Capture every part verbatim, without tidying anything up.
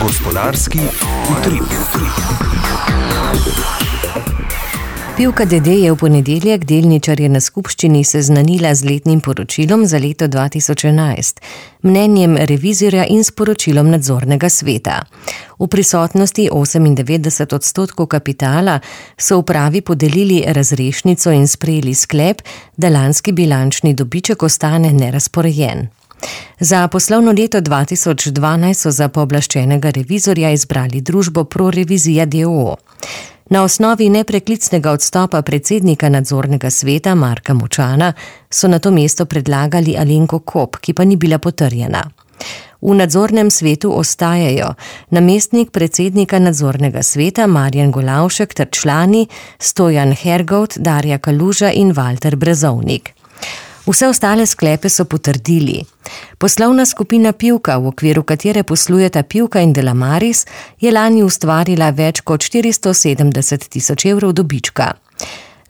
Gospodarski utrip. Pivka D D je v ponedeljek delničarje na skupščini seznanila z letnim poročilom za leto dva tisoč enajst, mnenjem revizorja in sporočilom nadzornega sveta. V prisotnosti osemindevetdeset odstotkov kapitala so upravi podelili razrešnico in sprejeli sklep, da lanski bilančni dobiček ostane nerazporejen. Za poslovno leto dva tisoč dvanajst so za pooblaščenega revizorja izbrali družbo ProRevizija d. o. o. Na osnovi nepreklicnega odstopa predsednika nadzornega sveta Marka Močana so na to mesto predlagali Alenko Kop, ki pa ni bila potrjena. V nadzornem svetu ostajajo namestnik predsednika nadzornega sveta Marjan Golavšek ter člani Stojan Hergovt, Darja Kaluža in Valter Brezovnik. Vse ostale sklepe so potrdili. Poslovna skupina Pivka, v okviru katere poslujeta Pivka in Delamaris, je lani ustvarila več kot štiristo sedemdeset tisoč evrov dobička.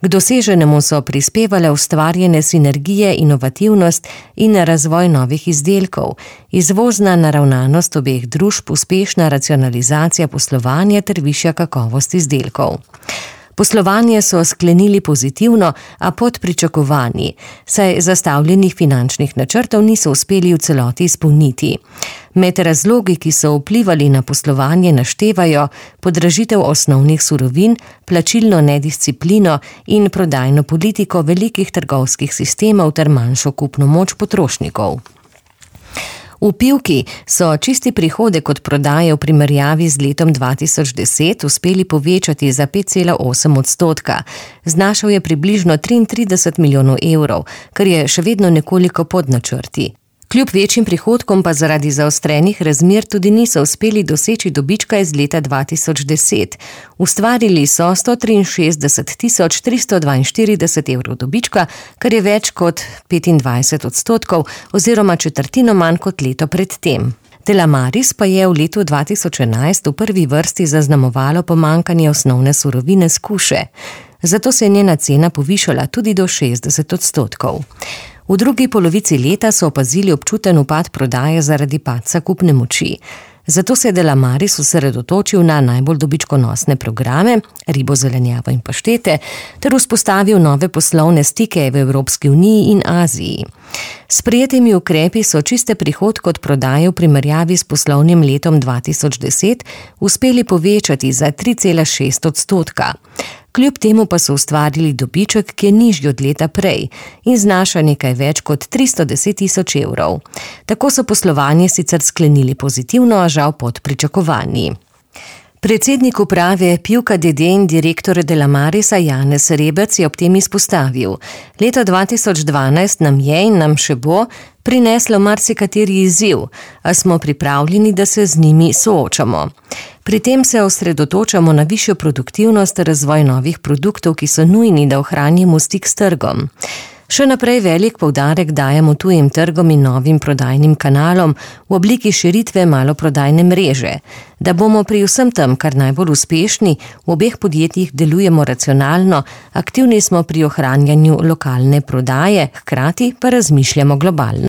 K doseženemu so prispevale ustvarjene sinergije, inovativnost in razvoj novih izdelkov, izvozna naravnanost obeh družb, uspešna racionalizacija poslovanja ter višja kakovost izdelkov. Poslovanje so sklenili pozitivno, a pod pričakovanji, saj zastavljenih finančnih načrtov niso uspeli v celoti izpolniti. Med razlogi, ki so vplivali na poslovanje, naštevajo podražitev osnovnih surovin, plačilno nedisciplino in prodajno politiko velikih trgovskih sistemov ter manjšo kupno moč potrošnikov. V Pivki so čisti prihodek od prodaje v primerjavi z letom dva tisoč deset uspeli povečati za pet cela osem odstotka. Znašal je približno triintrideset milijonov evrov, kar je še vedno nekoliko pod načrti. Kljub večjim prihodkom pa zaradi zaostrenih razmer tudi niso uspeli doseči dobička iz leta dva tisoč deset. Ustvarili so sto triinšestdeset tisoč tristo dvainštirideset evrov dobička, kar je več kot petindvajset odstotkov oziroma četrtino manj kot leto pred tem. Delamaris pa je v letu dva tisoč enajst v prvi vrsti zaznamovalo pomanjkanje osnovne surovine skuše. Zato se je njena cena povišala tudi do šestdeset odstotkov. V drugi polovici leta so opazili občuten upad prodaje zaradi padca kupne moči. Zato se je Delamaris osredotočil na najbolj dobičkonosne programe, ribo, zelenjavo in paštete, ter vzpostavil nove poslovne stike v Evropski uniji in Aziji. S sprejetimi ukrepi so čiste prihodke od prodaje v primerjavi s poslovnim letom dva tisoč deset uspeli povečati za tri cela šest odstotka. Kljub temu pa so ustvarili dobiček, ki je nižji od leta prej in znaša nekaj več kot tristo deset tisoč evrov. Tako so poslovanje sicer sklenili pozitivno, a žal pod pričakovanji. Predsednik uprave Pivka D D in direktor Delamarisa Janez Rebec je ob tem izpostavil: leto dva tisoč dvanajst nam je in nam še bo prineslo marsikateri izziv, a smo pripravljeni, da se z njimi soočamo. Pri tem se osredotočamo na višjo produktivnost, razvoj novih produktov, ki so nujni, da ohranimo stik s trgom. Še naprej velik poudarek dajemo tujim trgom in novim prodajnim kanalom v obliki širitve maloprodajne mreže. Da bomo pri vsem tem kar najbolj uspešni, v obeh podjetjih delujemo racionalno, aktivni smo pri ohranjanju lokalne prodaje, hkrati pa razmišljamo globalno.